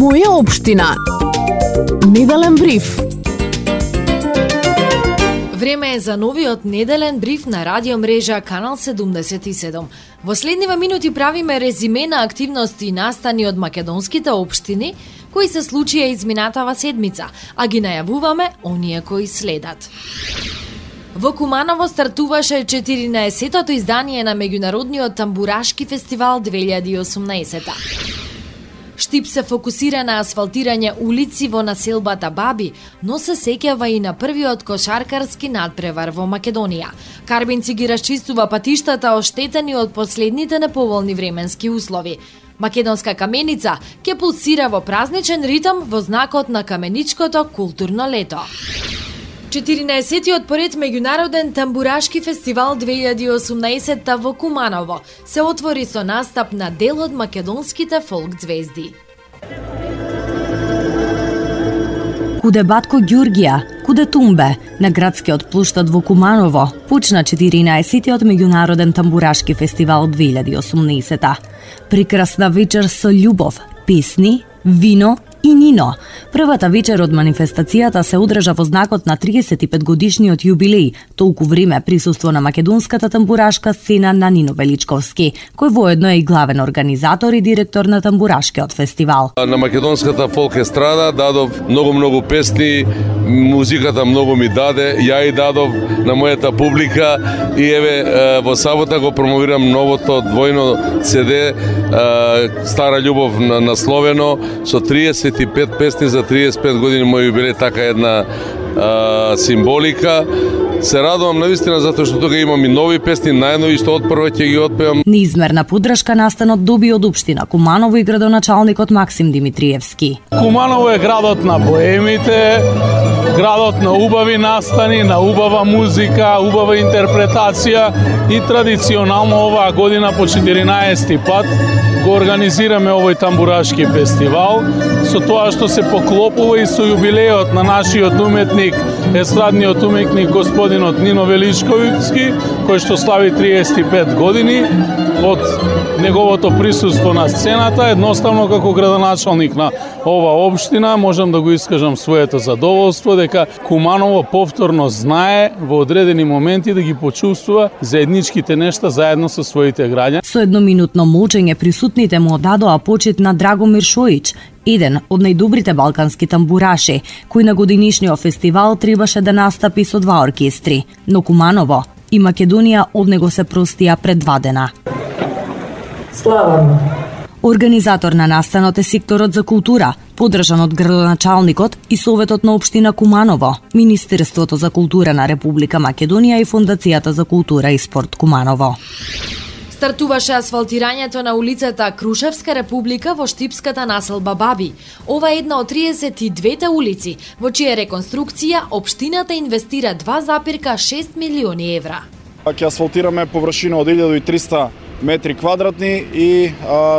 Моја општина. Неделен бриф. Време е за новиот неделен бриф на радио мрежа Канал 77. Во следниве минути правиме резиме на активности и настани од македонските општини кои се случија изминатава седмица, а ги најавуваме оние кои следат. Во Куманово стартуваше 14-тото издание на меѓународниот тамбурашки фестивал 2018. Штип се фокусира на асфалтирање улици во населбата Баби, но се сеќава и на првиот кошаркарски надпревар во Македонија. Карбинци ги расчистува патиштата оштетени од последните неповолни временски услови. Македонска каменица ќе пулсира во празничен ритам во знакот на каменичкото културно лето. 14-тиот поред меѓународен тамбурашки фестивал 2018 во Куманово се отвори со настап на дел од македонските фолк звезди. Куде Батко Ѓурѓија, куде Тумбе, на градскиот плуштад во Куманово, почна 14-тиот меѓународен тамбурашки фестивал 2018. Прекрасна вечер со љубов, песни, вино и нино. Првата вечер од манифестацијата се одржа во знакот на 35 годишниот јубилеј, толку време присуство на македонската тамбурашка сцена на Нино Величковски, кој воедно е и главен организатор и директор на тамбурашкиот фестивал. На македонската фолк естрада дадов многу песни, музиката многу ми даде, ја и дадов на мојата публика и еве во сабота го промовирам новото двојно CD Стара љубов насловено со 35 песни за 35 години мој јубилеј, така една символика. Се радувам навистина затоа што тука имам и нови песни, најнови што отпрво ќе ги отпевам. Неизмерна поддршка настанот доби од општина Куманово и градоначалникот Максим Димитриевски. Куманово е градот на боемите, градот на убави настани, на убава музика, убава интерпретација и традиционално оваа година по 14 пат го организираме овој тамбурашки фестивал, со тоа што се поклопува и со јубилеот на нашиот уметник, естрадниот уметник господинот Нино Величковски, кој што слави 35 години од неговото присуство на сцената. Едноставно како градоначалник на ова општина можам да го искажам своето задоволство дека Куманово повторно знае во одредени моменти да ги почувствува заедничките нешта заедно со своите граѓани. Со едноминутно молчење присутните му одадоа почит на Драгомир Шоич, еден од најдобрите балкански тамбураши, кој на годинишниот фестивал требаше да настапи со два оркестри, но Куманово и Македонија од него се простија пред 2 дена. Слава! Организатор на настанот е секторот за култура, поддржан од градоначалникот и Советот на општина Куманово, Министерството за култура на Република Македонија и Фондацијата за култура и спорт Куманово. Стартуваше асфалтирањето на улицата Крушевска република во штипската населба Баби. Ова е една од 32 улици, во чија реконструкција општината инвестира 2,6 милиони евра. Ќе асфалтираме површина од 1300 метри квадратни и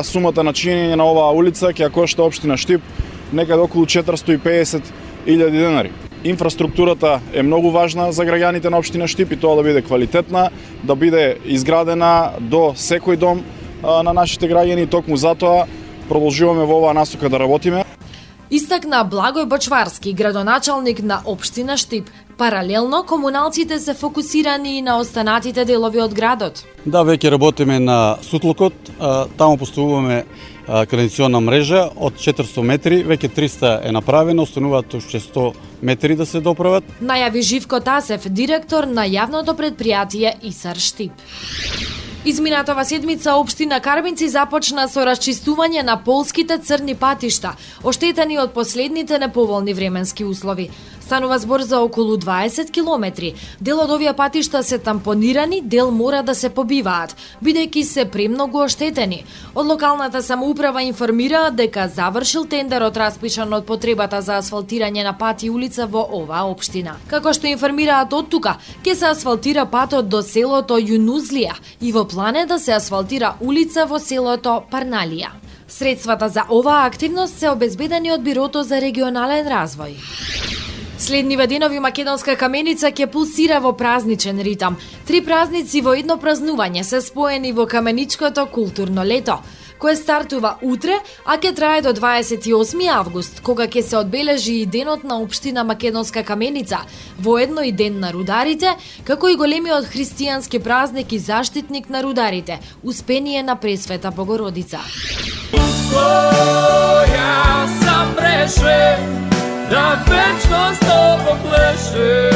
сумата на чинење на оваа улица ќе кошта општина Штип некаде околу 450.000 денари. Инфраструктурата е многу важна за граѓаните на општина Штип и тоа да биде квалитетна, да биде изградена до секој дом на нашите граѓани, токму затоа продолжуваме во оваа насока да работиме. Истакна Благој Бочварски, градоначалник на општина Штип. Паралелно, комуналците се фокусирани и на останатите делови од градот. Да, веќе работиме на Сутлукот, таму поставуваме канализациона мрежа од 400 метри, веќе 300 е направено, остануваат уште 100 метри да се доправат. Најави Живко Тасев, директор на јавното предпријатие ИСАР Штип. Изминатава седмица општина Карбинци започна со расчистување на полските црни патишта, оштетени од последните неповолни временски услови. Станува збор за околу 20 километри. Дел од овие патишта се тампонирани, дел мора да се побиваат, бидејќи се премногу оштетени. Од локалната самоуправа информира дека завршил тендерот распишан од потребата за асфалтирање на пат и улица во оваа општина. Како што информираат од тука, ќе се асфалтира патот до селото Јунузлија и во план е да се асфалтира улица во селото Парналија. Средствата за оваа активност се обезбедени од Бирото за регионален развој. Следниве денови македонска каменица ќе пулсира во празничен ритам. 3 празници во едно празнување се споени во каменичкото културно лето. кој стартува утре, а ќе трае до 28 август, кога ќе се одбележи и денот на општина Македонска Каменица, воедно и ден на рударите, како и големиот христијански празник и заштитник на рударите, Успение на Пресвета Богородица. Ја сам решен да вечно с тобом плешем.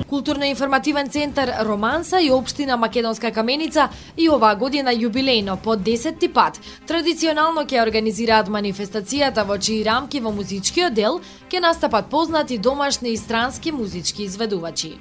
Културно-информативен центар Романса и општина Македонска Каменица и оваа година јубилејно по 10-ти пат традиционално ќе организираат манифестацијата во чии рамки во музичкиот дел ќе настапат познати домашни и странски музички изведувачи.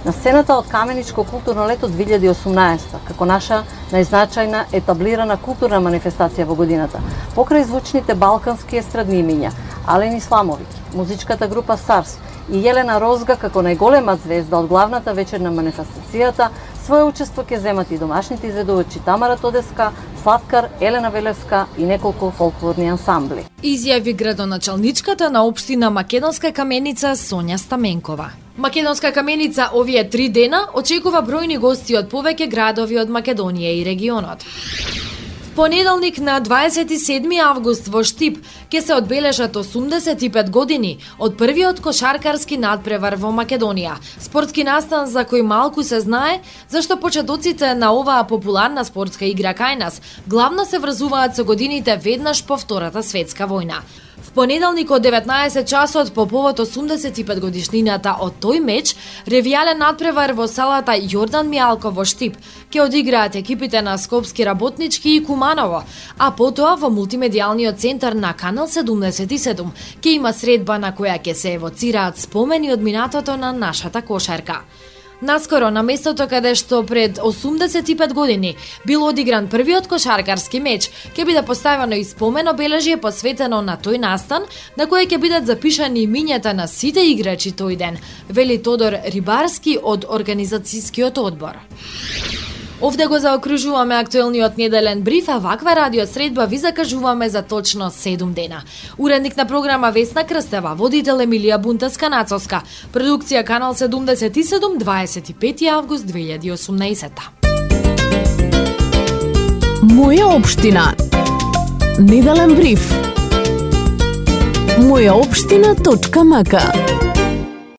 На сцената од Каменичко културно лето 2018, како наша најзначајна етаблирана културна манифестација во годината, покрај звучните балкански естрадни имиња, Ален Исламовиќ, музичката група Сарс и Јелена Розга како најголема звезда од главната вечер на манифестацијата, свое учество ќе земат и домашните изведувачи Тамара Тодеска, Славкар, Елена Велевска и неколку фолклорни ансамбли. Изјави градоначалничката на општина Македонска Каменица Сонја Стаменкова. Македонска Каменица овие 3 дена очекува бројни гости од повеќе градови од Македонија и регионот. Понеделник на 27 август во Штип ќе се одбележат 85 години од првиот кошаркарски надпревар во Македонија. Спортски настан за кој малку се знае, зашто почетоците на оваа популарна спортска игра кај нас главно се врзуваат со годините веднаш по Втората светска војна. В понеделник од 19 часот по повод 85 годишнината од тој меч, ревијален надпревар во салата Јордан Мијалко во Штип ќе одиграат екипите на Скопски работнички и Куманово, а потоа во мултимедијалниот центар на Канал 77 ќе има средба на која ќе се евоцираат спомени од минатото на нашата кошарка. Наскоро, на местото каде што пред 85 години бил одигран првиот кошаркарски меч, ќе биде поставено и спомен обележје посветено на тој настан, на кое ќе бидат запишани имињата на сите играчи тој ден, вели Тодор Рибарски од организацијскиот одбор. Овде го заокружуваме актуелниот неделен бриф, а ваква радиосредба ви закажуваме за точно 7 дена. Уредник на програма Весна Крстева, водител Емилија Бунтаска-Нацовска, продукција Канал 77, 25 август 2018. Моја општина. Неделен бриф. Мојаопштина.мк